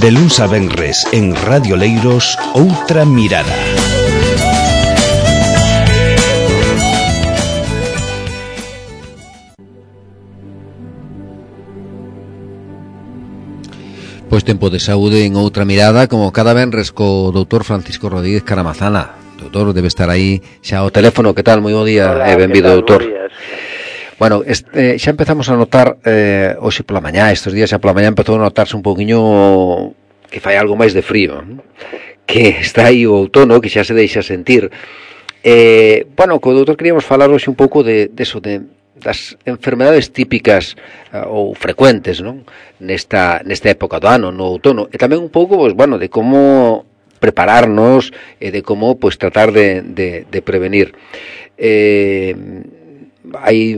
De luns a venres en Radio Leiros, Outra Mirada. Pois tempo de saúde en Outra Mirada, como cada venres co doutor Francisco Rodríguez Caramazana. Doutor, debe estar aí xa ao teléfono. Que tal? Moi bo día. Hola, benvido, doutor. Bueno, xa empezamos a notar hoxe pola mañá, estes días xa pola mañá empezou a notarse un pouquiño que fai algo máis de frío, ¿no? Que está aí o outono, que xa se deixa sentir. Bueno, co doutor queríamos falar hoxe un pouco de eso, das enfermedades típicas ou frecuentes, non? Nesta época do ano, no outono, e tamén un pouco, pues, bueno, de como prepararnos e de como, pues, tratar de prevenir. Hai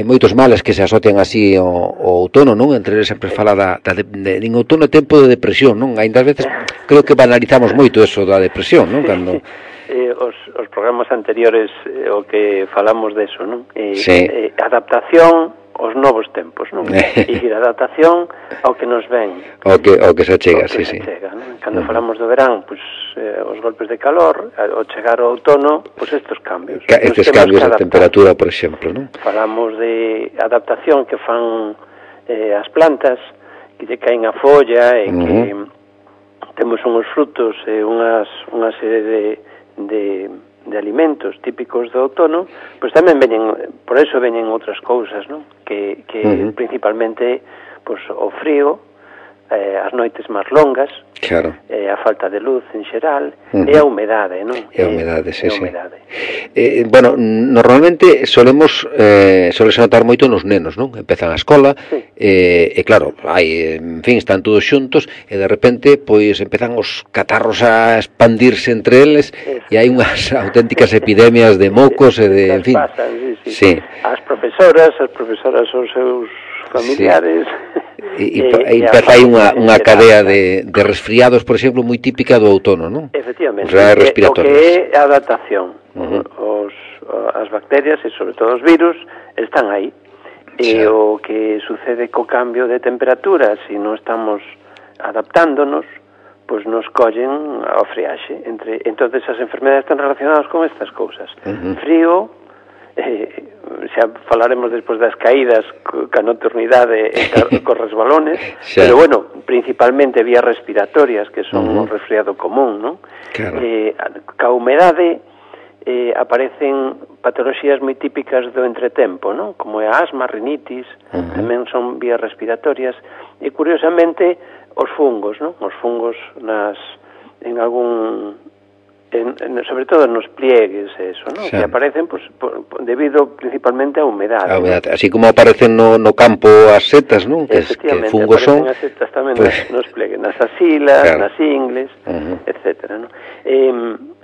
moitos males que se asocian así ao outono, non? Entre eles sempre fala en outono é tempo de depresión, non? Ainda ás veces creo que banalizamos moito eso da depresión, non? Cando os programas anteriores o que falamos deso, non? Sí. Adaptación aos novos tempos, non? E adaptación ao que nos ven. O que se chega, sí. Chega, non? Cando falamos do verán, pois os golpes de calor, ao chegar ao outono, pois estes cambios. Estes cambios de temperatura, por exemplo, non? Falamos de adaptación que fan as plantas, que lle caen a folla e que temos uns frutos e unha serie de alimentos típicos do outono, pois tamén por eso veñen outras cousas, non? Que principalmente pois o frío, as noites máis longas, claro, a falta de luz en xeral, e a humedade, non? E a humedade, sí. Bueno, normalmente solese notar moito nos nenos, non? Empezan a escola, e claro, en fin, están todos xuntos, e de repente, pois, empezan os catarros a expandirse entre eles, e hai unhas auténticas epidemias de mocos e de, en fin. Sí. As profesoras os seus familiares. E empeza aí unha cadea de resfriados, por exemplo, moi típica do outono, non? Efectivamente. O que é a adaptación. As bacterias e, sobre todo, os virus están aí. E o que sucede co cambio de temperatura, se non estamos adaptándonos, pois nos collen ao friaxe. Entonces, as enfermedades están relacionadas con estas cousas. Frío, xa falaremos despois das caídas ca nocturnidade e cos resbalones, pero bueno, principalmente vías respiratorias, que son o resfriado común, non? Claro. Ca humedade aparecen patoloxías moi típicas do entretempo, non? Como é a asma, rinitis, tamén son vías respiratorias, e curiosamente os fungos, non? Os fungos sobre todo nos pliegues, eso, ¿no? Que aparecen pues, debido principalmente a humedade. A humedade, así como aparecen no campo as setas, non? Que fungos son. As setas tamén nos pliegues, nas axilas, nas ingles, etcétera, ¿no?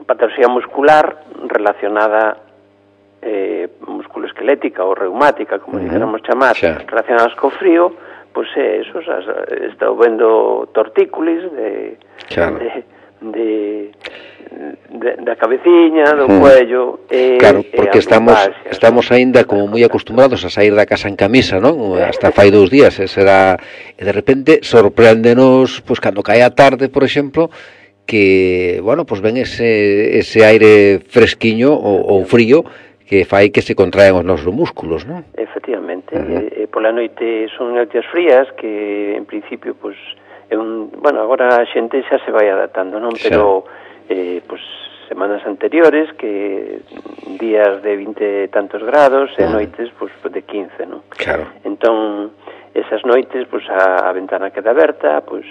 Patoloxía muscular relacionada musculoesquelética ou reumática, como dijéramos chamar, relacionadas co frío, pois eso, estou vendo tortícolis da cabeciña, do cuello, claro, porque estamos aínda como moi acostumbrados a sair da casa en camisa, non? Hasta fai 2 días, e de repente sorpréndenos, pois cando cae a tarde, por exemplo, que, bueno, pois ven ese aire fresquiño ou frío que fai que se contraen os nosos músculos, non? Efectivamente, pola noite son noites frías que, en principio, pois bueno, agora a xente xa se vai adaptando, non? Pero pois semanas anteriores que días de 20 e tantos grados e noites pois de 15, non? Claro. Entón, esas noites pois a ventana queda aberta, pois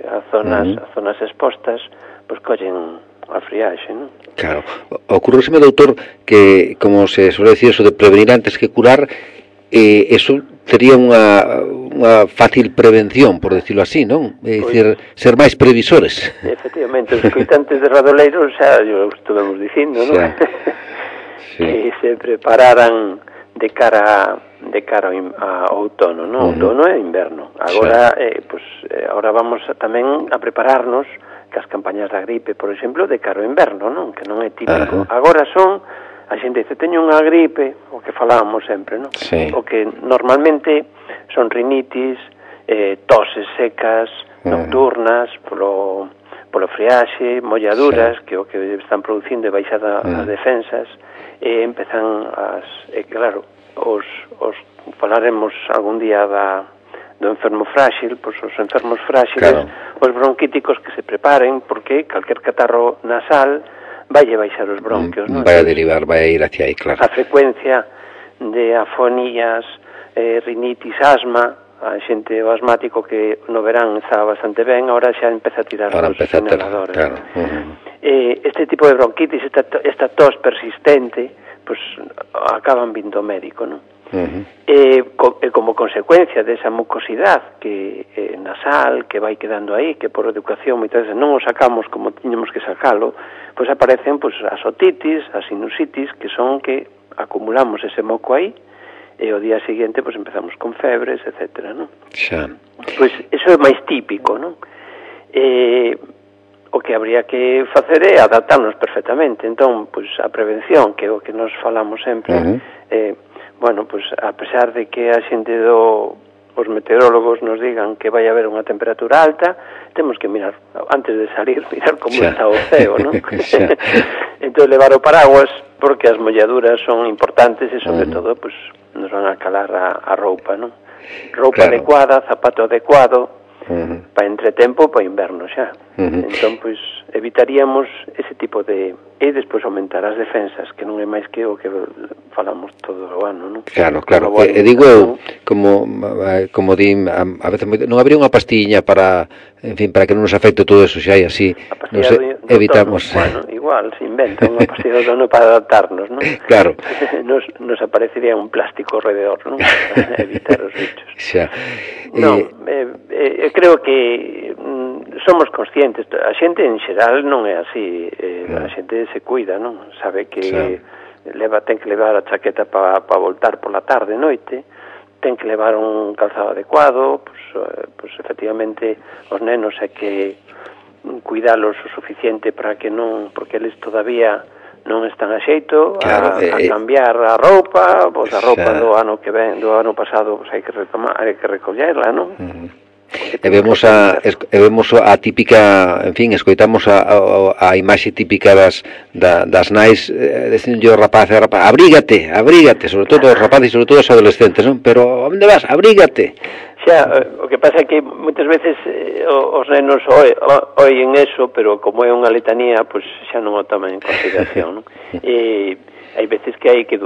as zonas expostas pois collen a friaxe, non? Claro. Ocurríseme, doutor, que como se suele decir eso de prevenir antes que curar, eso sería unha fácil prevención, por decirlo así, non? É dicir, ser máis previsores. Efectivamente, os coitantes de Radio Leiros xa estuvemos dicindo, non? Que se prepararan de cara a outono, non? Outono e inverno. Agora, agora vamos tamén a prepararnos cas campañas da gripe, por exemplo, de cara ao inverno, non? Que non é típico. Agora a xente dice, teño unha gripe, o que falábamos sempre, non? O que normalmente son rinitis, toses secas, nocturnas, polo friaxe, molladuras, que o que están producindo é baixada as defensas, e empezan claro, os falaremos algún día do enfermo frágil, pois os enfermos frágiles, os bronquíticos que se preparen, porque calquer catarro nasal vai baixar os bronquios, non? Vai a derivar, vai a ir hacia aí, claro. A frecuencia de afonías, rinitis, asma, a xente o asmático que no verán estaba bastante ben, ahora xa empeza a tirar os inhaladores. Claro. Este tipo de bronquitis, esta tos persistente, pues acaban vindo ao médico, non? Como consecuencia desa mucosidade que nasal, que vai quedando aí, que por educación moitas veces non o sacamos como tiñamos que sacalo, pois aparecen as otitis, as sinusitis, que son que acumulamos ese moco aí, e o día seguinte pois empezamos con febres, etcétera, non? Xa. Pois iso é máis típico, non? O que habría que facer é adaptarnos perfectamente. Entón, pois a prevención, que é o que nos falamos sempre, bueno, pois a pesar de que a xente os meteorólogos nos digan que vai haber unha temperatura alta, temos que mirar, antes de salir, mirar como está o ceo, non? Entón, levar o paraguas, porque as molladuras son importantes e, sobre todo, pois nos van a calar a roupa, non? Roupa adecuada, zapato adecuado, para entretempo, para inverno xa. Entón, pois, evitaríamos ese tipo de... E despois aumentar as defensas, que non é máis que o que falamos todo o ano, non? Claro. E digo eu, como din, a veces non habría unha pastiña para, en fin, para que non nos afecte todo eso, xa e así evitamos... Bueno, igual, se inventa unha pastilla do tono para adaptarnos, non? Claro. Nos aparecería un plástico alrededor, non? Para evitar os bichos. Xa. Non, creo que somos conscientes, a xente en xeral non é así, a xente se cuida, non? Sabe que ten que levar a chaqueta para voltar pola tarde, noite, ten que levar un calzado adecuado, pues efectivamente os nenos hai que cuidalos o suficiente para que non, porque eles todavía non están a xeito a cambiar a roupa, pois a roupa do ano que ven, do ano pasado, pois hai que recollerla, non? E vemos a típica, en fin, escoitamos a imaxe típica das nais dicindo ao rapaz, abrígate, sobre todo os rapaces e sobre todo os adolescentes, non? Pero onde vas? Abrígate. Xa, o que pasa é que moitas veces os nenos oyen eso, pero como é unha letanía, pois xa non o toman en consideración, non? E hai veces que hai que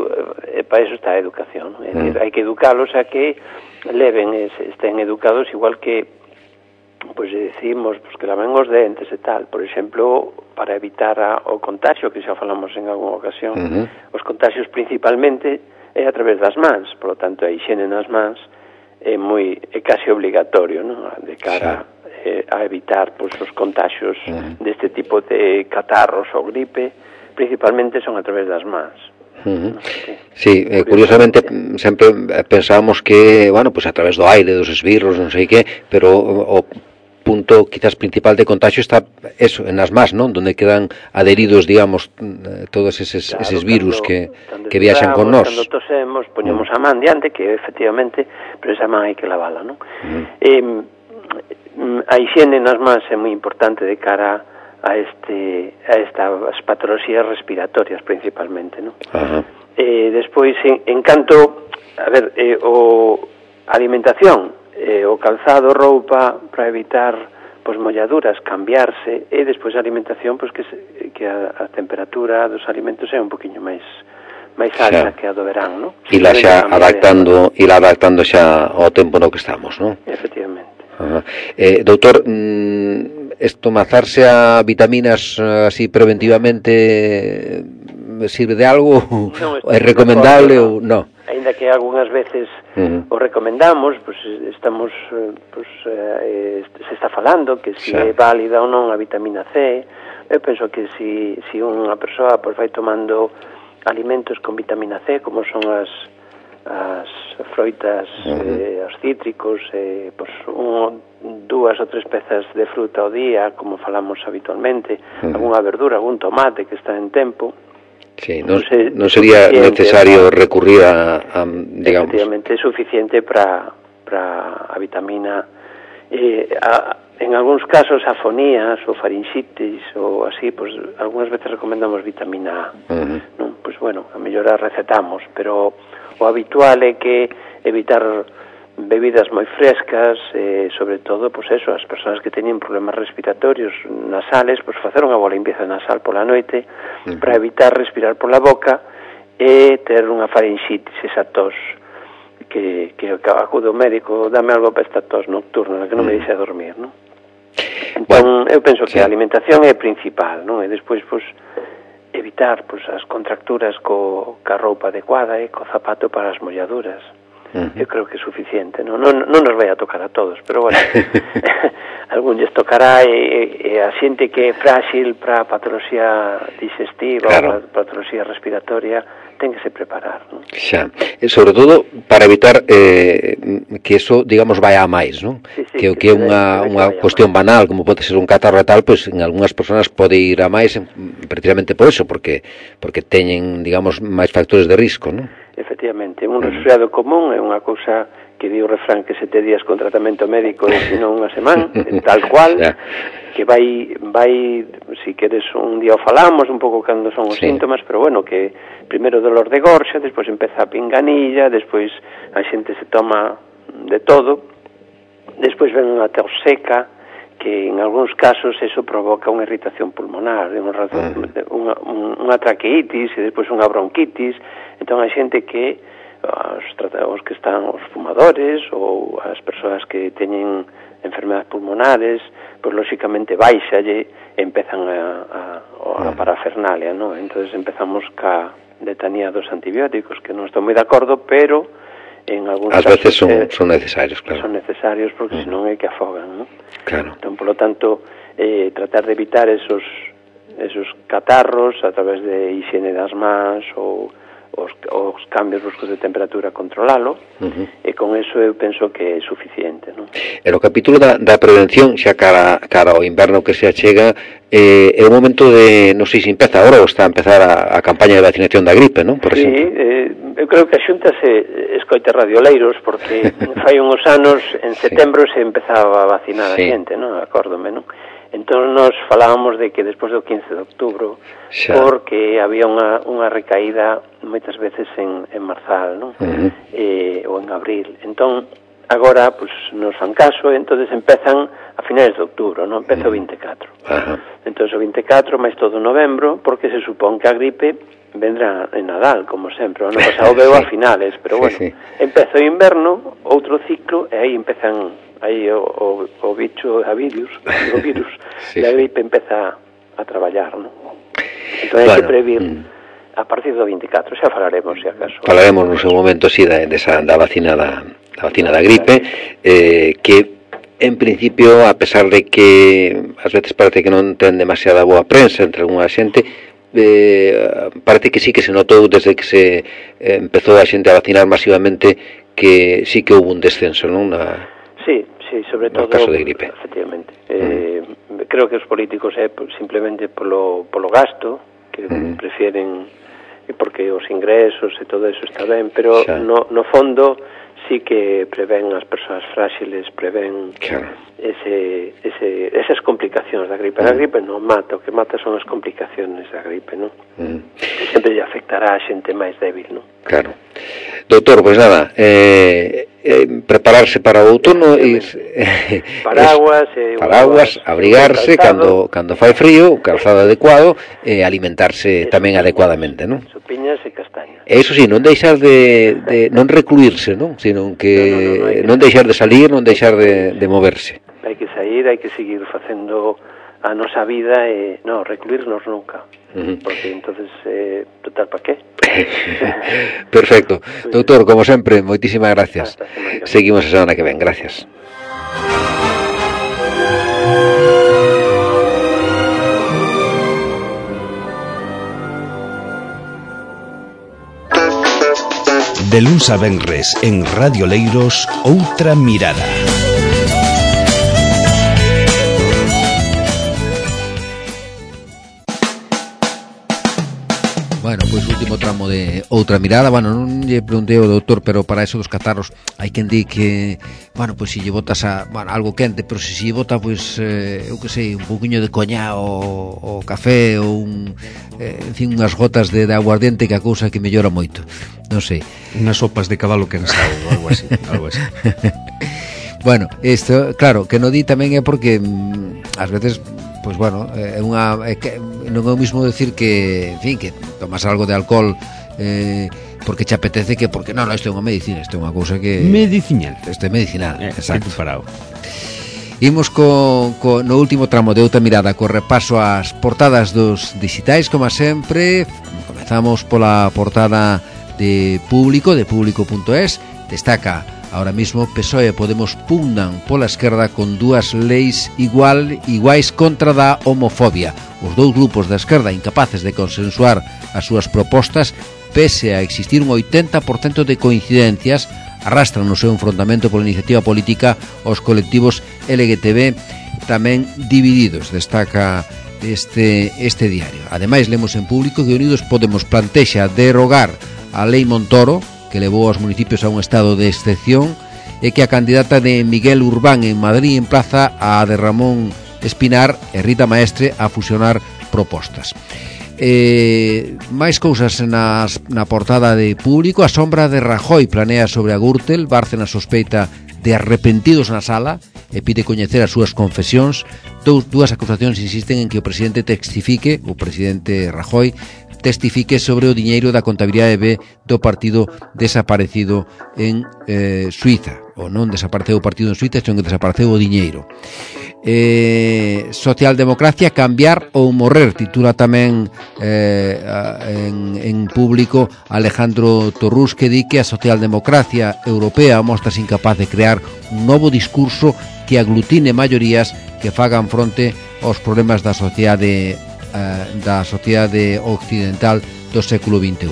para eso está a educación, non? É dicir, hai que educalos a que leven, estén educados igual que pois decimos que laven os dentes e tal, por exemplo, para evitar o contagio, que xa falamos en algunha ocasión. Os contagios principalmente é a través das mans, por lo tanto a higiene nas mans é casi obligatorio, non? De cara a evitar pois os contagios deste tipo de catarros ou gripe, principalmente son a través das mans. Sí, curiosamente sempre pensábamos que, bueno, pues a través do aire, dos esbirros, non sei que, pero o punto quizás principal de contagio está eso, en as mans, non? Donde quedan adheridos, digamos, todos eses virus que viaxan con nós. Cando tosemos, poñemos a man diante, que efectivamente, pero esa man hai que lavala, non? A higiene nas mans é moi importante de cara a estas patoloxías respiratorias principalmente, non? Despois, en canto, a ver, a alimentación, o calzado, roupa, para evitar pois molladuras, cambiarse, e despois a alimentación, pois que a temperatura dos alimentos é un poquinho máis alta que a do verán, non? E la xa adaptando xa ao tempo no que estamos, non? Efectivamente. Doutor, estomazarse a vitaminas así preventivamente sirve de algo? É recomendable ou non? Ainda que algunhas veces o recomendamos, pues estamos se está falando que se é válida ou non a vitamina C. Eu penso que si unha persoa pues vai tomando alimentos con vitamina C, como son as froitas, os cítricos, pues dúas ou tres pezas de fruta ao día, como falamos habitualmente, algunha verdura, algún tomate que está en tempo. Sí, non sería necesario recurrir a digamos... Efectivamente, é suficiente para a vitamina. en algúns casos afonías ou farinxitis ou así, pois algunhas veces recomendamos vitamina A. Non? Pois bueno, a mellor a recetamos, pero o habitual é que evitar bebidas moi frescas, sobre todo, pois eso, as persoas que teñen problemas respiratorios nasales, pois facer unha boa limpieza nasal pola noite para evitar respirar pola boca e ter unha farinxitis, esa tos que acude ao médico, dame algo para esta tos nocturna, que non me deixa dormir, non? Entón, eu penso que a alimentación é principal, non? E despois, pois, evitar pois, as contracturas ca roupa adecuada e co zapato para as molladuras. Eu creo que é suficiente, non nos vai a tocar a todos, pero bueno, algún lles tocará e a xente que é frágil para patoloxía digestiva ou patoloxía respiratoria ten que se preparar, non? Xa, e sobre todo para evitar que eso, digamos, vai a máis, non? Sí, que é unha cuestión banal, como pode ser un catarro e tal, pois en algunhas persoas pode ir a máis precisamente por eso, porque teñen, digamos, máis factores de risco, non? Efectivamente, un resfriado común é unha cousa que di o refrán que 7 días con tratamento médico e senón unha semana, tal cual, que vai, si queres un día o falamos un pouco cando son os síntomas, pero bueno, que primeiro dolor de gorxa, despois empeza a pinganilla, despois a xente se toma de todo, despois ven unha tos seca, que en algúns casos eso provoca unha irritación pulmonar, unha traqueitis e despois unha bronquitis. Entón a xente que os que están os fumadores ou as persoas que teñen enfermedades pulmonares, pois lóxicamente baixalle e empezan a parafernalia, non? Entonces empezamos ca letanía dos antibióticos, que non estou moi de acordo, pero en algúns casos veces son necesarios, claro. Son necesarios porque senón é que afogan, non? Claro. Entón, polo tanto, tratar de evitar esos catarros a través de higiene das mans ou os cambios bruscos de temperatura, controlalo, e con eso eu penso que é suficiente, non? E no capítulo da prevención, xa cara ao inverno que se achega, é o momento de, non sei se empeza agora ou está a empezar a campaña de vacinación da gripe, non? Por exemplo. Eu creo que a Xunta se escoita radioleiros, porque fai uns anos, en setembro, se empezaba a vacinar a xente, non? Acórdome, non? Entón nos falábamos de que despois do 15 de outubro, porque había unha recaída moitas veces en marzal, non? Ou en abril. Entón, agora, pues, nos fan caso, e entonces empezan a finales de outubro, non? Empeza o 24. Entón, o 24, máis todo novembro, porque se supón que a gripe vendrá en Nadal, como sempre. O ano pasado veo a finales, pero bueno, empeza o inverno, outro ciclo, e aí empezan aí o bicho, o virus da gripe empeza a traballar, non? Entón hai que previr a partir do 24, xa falaremos, se acaso. Falaremos no seu momento, sí, da vacina da gripe, que en principio, a pesar de que ás veces parece que non ten demasiada boa prensa entre algunha xente, parece que sí que se notou desde que se empezou a xente a vacinar masivamente que sí que houve un descenso, non? Sí, sobre todo no caso de gripe. Efectivamente. Creo que os políticos é simplemente polo gasto, que prefieren, porque os ingresos e todo eso está ben, pero no fondo sí que prevén as persoas frágiles, prevén esas complicacións da gripe. A gripe non mata, o que mata son as complicacións da gripe, non? Sempre lle afectará a xente máis débil, non? Claro. Doutor, pois nada, prepararse para o outono, paraguas, abrigarse cando fai frío, calzado adecuado, e alimentarse tamén adecuadamente, non? Sopiñas e castañas. E iso sí, non deixar de non recluirse, non? Sino que non deixar de salir, non deixar de moverse. Hai que sair, hai que seguir facendo a nosa vida e non recluirnos nunca, porque entonces total, para qué? Perfecto. Doutor, como sempre, moitísimas gracias. Seguimos a semana que ven, gracias. De luns a venres en Radio Leiros, Outra Mirada. Bueno, pois último tramo de outra mirada. Bueno, non lle preguntei ao doutor, pero para eso dos catarros hai quen di que, bueno, pois se lle botas algo quente, pero se lle bota, pois, eu que sei, un pouquiño de coñá ou café ou en fin, unhas gotas de aguardiente, que a cousa que mellora moito. Non sei. Unhas sopas de cabalo cansado ou algo así, algo así. Bueno, isto, claro, que no di tamén é porque ás veces, pois bueno, non é o mismo decir que, en fin, que tomas algo de alcohol porque te apetece, que porque non, isto é unha medicina, isto é unha cousa que medicinal. Isto é medicinal, exacto. Parado. Imos no último tramo de outra mirada, co repaso ás portadas dos digitais, como sempre. Comezamos pola portada de Público, de público.es. Destaca: ahora mismo PSOE e Podemos pugnan pola esquerda con dúas leis iguais contra da homofobia. Os dous grupos da esquerda, incapaces de consensuar as súas propostas, pese a existir un 80% de coincidencias, arrastran no seu enfrontamento pola iniciativa política os colectivos LGTB tamén divididos, destaca este diario. Ademais, lemos en Público que Unidos Podemos plantexa derogar a Lei Montoro, que levou aos municipios a un estado de excepción, e que a candidata de Miguel Urbán en Madrid emplaza a de Ramón Espinar e Rita Maestre a fusionar propostas. Máis cousas na portada de Público. A sombra de Rajoy planea sobre a Gürtel. Bárcenas sospeita de arrepentidos na sala e pide coñecer as súas confesións. Dúas acusacións insisten en que o presidente Rajoy testifique sobre o diñeiro da contabilidade B do partido desaparecido en Suiza. O non desapareceu o partido en Suiza, senón que desapareceu o diñeiro. Socialdemocracia, cambiar ou morrer, titula tamén en Público Alejandro Torrús, que di que a socialdemocracia europea mostra incapaz de crear un novo discurso que aglutine maiorías que fagan fronte aos problemas da sociedade occidental do século XXI.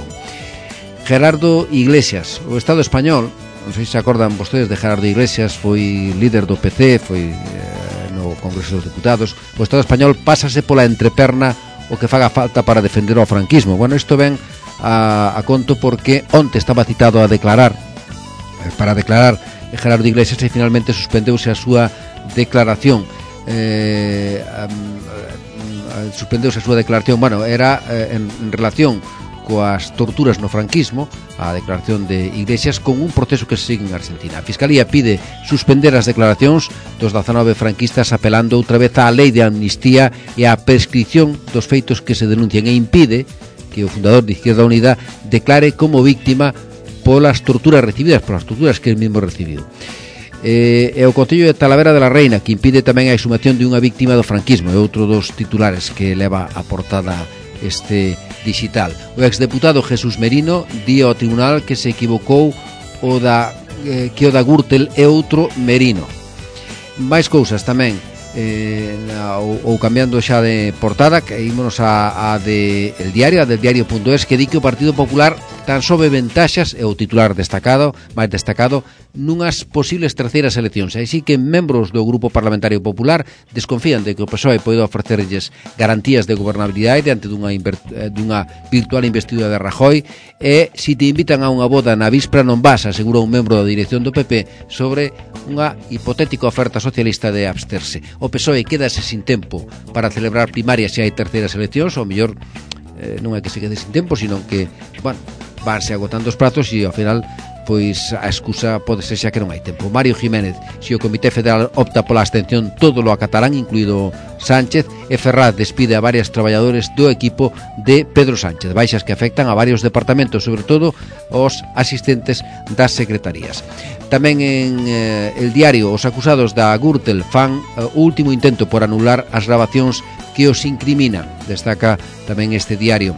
Gerardo Iglesias, o Estado español, non sei se acordan vostedes de Gerardo Iglesias, foi líder do PC, foi no Congreso dos Deputados. O Estado español pásase pola entreperna o que faga falta para defender o franquismo. Bueno, isto ven a conto porque onte estaba citado para declarar Gerardo Iglesias e finalmente suspendeuse a súa declaración. Bueno, era en relación coas torturas no franquismo, a declaración de Iglesias, con un proceso que se sigue en Argentina. A Fiscalía pide suspender as declaracións dos 19 franquistas, apelando outra vez á lei de amnistía e á prescripción dos feitos que se denuncian, e impide que o fundador de Izquierda Unida declare como víctima polas torturas recibidas, polas torturas que el mismo recibiu. E o Concello de Talavera de la Reina, que impide tamén a exhumación de unha víctima do franquismo, é outro dos titulares que leva a portada este digital. O exdeputado Jesús Merino di ao tribunal que se equivocou que o da Gürtel é outro Merino. Máis cousas tamén, ou cambiando xa de portada, que ímonos a de El Diario, a del diario.es, que di que o Partido Popular tan sobe ventaxas, é o titular máis destacado, nunhas posibles terceiras eleccións. Así que membros do Grupo Parlamentario Popular desconfían de que o PSOE pode ofrecerlles garantías de gobernabilidade diante dunha virtual investidura de Rajoy, e se te invitan a unha boda na víspera non vas, asegura un membro da dirección do PP sobre unha hipotética oferta socialista de absterse. O PSOE quedase sin tempo para celebrar primarias se hai terceiras eleccións, ou mellor non é que se quede sin tempo, sino que, bueno, vanse agotando os prazos e ao final pois a excusa pode ser xa que non hai tempo. Mario Jiménez: se o Comité Federal opta pola abstención, todo lo acatarán, incluído Sánchez. E Ferraz despide a varios traballadores do equipo de Pedro Sánchez, baixas que afectan a varios departamentos, sobre todo os asistentes das secretarías. Tamén en El Diario, os acusados da Gürtel fan o último intento por anular as grabacións que os incriminan, destaca tamén este diario.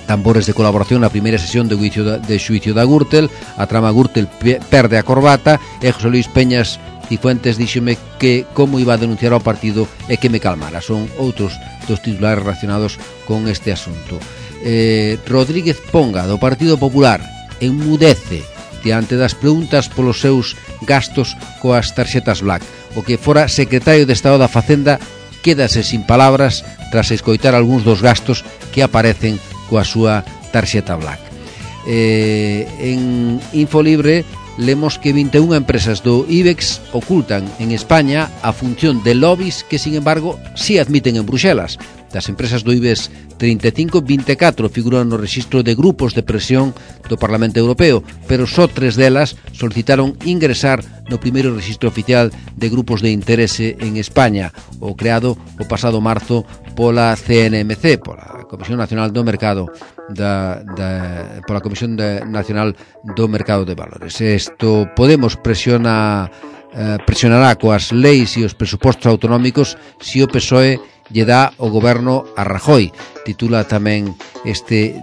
Tambores de colaboración na primeira sesión de xuicio da Gürtel. A trama Gürtel perde a corbata e José Luis Peñas Cifuentes díxome que como iba a denunciar ao partido e que me calmara. Son outros dos titulares relacionados con este asunto. Rodríguez Ponga, do Partido Popular, enmudece diante das preguntas polos seus gastos coas tarxetas Black. O que fora secretario de Estado da Facenda quédase sin palabras tras escoitar algúns dos gastos que aparecen coa súa tarxeta Black. En Infolibre lemos que 21 empresas do IBEX ocultan en España a función de lobbies que, sin embargo, sí admiten en Bruxelas. Das empresas do IBEX 35, 24 figuran no rexistro de grupos de presión do Parlamento Europeo, pero só 3 delas solicitaron ingresar no primeiro rexistro oficial de grupos de interese en España, o creado o pasado marzo pola CNMC, pola Comisión Nacional do Mercado pola Comisión Nacional do Mercado de Valores. Isto Podemos pressionará coas leis e os presupostos autonómicos se o PSOE lle dá o goberno a Rajoy, titula tamén este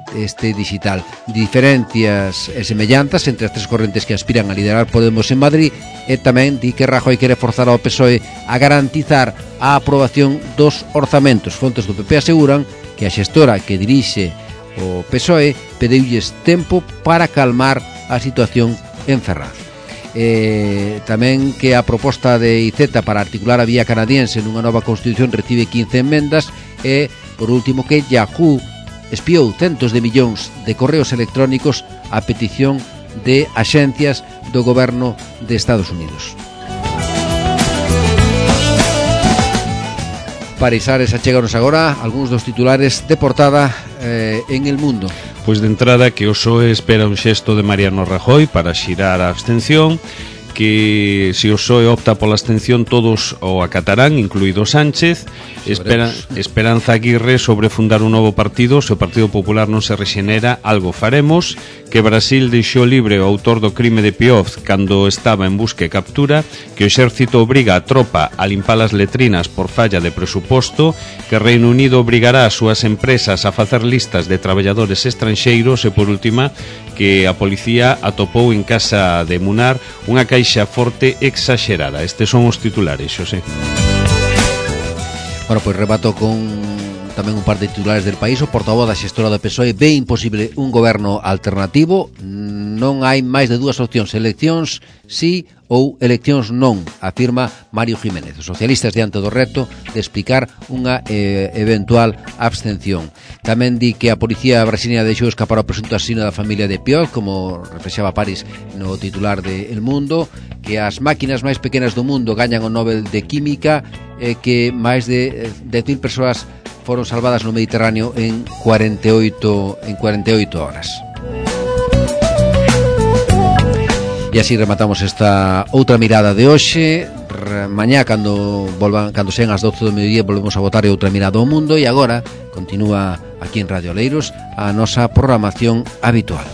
digital. Diferencias e semellanzas entre as tres correntes que aspiran a liderar Podemos en Madrid, e tamén di que Rajoy quere forzar ao PSOE a garantizar a aprobación dos orzamentos. Fontes do PP aseguran que a xestora que dirixe o PSOE pediulles tempo para calmar a situación en Ferraz. Tamén que a proposta de IZ para articular a vía canadiense nunha nova constitución recibe 15 enmendas, e, por último, que Yahoo espiou centos de millóns de correos electrónicos a petición de axencias do goberno de Estados Unidos. Para Isares, acheganos agora algúns dos titulares de portada en El Mundo. Pois de entrada que o PSOE espera un xesto de Mariano Rajoy para xirar a abstención, que se o PSOE opta pola abstención todos o acatarán, incluído Sánchez. Esperanza Aguirre sobre fundar un novo partido. Se o Partido Popular non se rexenera, algo faremos. Que Brasil deixou libre o autor do crime de Pioz cando estaba en busca e captura. Que o exército obriga a tropa a limpar as letrinas por falla de presuposto. Que Reino Unido obrigará as súas empresas a facer listas de traballadores estranxeiros. E por última, que a policía atopou en casa de Munar unha caixa forte exagerada. Estes son os titulares, Xosé. Bueno, pois rebato con tamén un par de titulares del país. O portavoz da xestora do PSOE ve imposible un goberno alternativo. Non hai máis de dúas opcións: eleccións sí ou eleccións non, afirma Mario Jiménez. Os socialistas diante do reto de explicar unha eventual abstención. Tamén di que a policía brasileña deixou escapar o presunto asesino da familia de Pioz, como reflexaba París no titular de El Mundo, que as máquinas máis pequenas do mundo gañan o Nobel de Química, que máis de 10.000 persoas foron salvadas no Mediterráneo en 48 horas. E así rematamos esta outra mirada de hoxe. Mañá, cando sean as 12 do mediodía, volvemos a botar outra mirada ao mundo. E agora continúa aquí en Radio Oleiros a nosa programación habitual.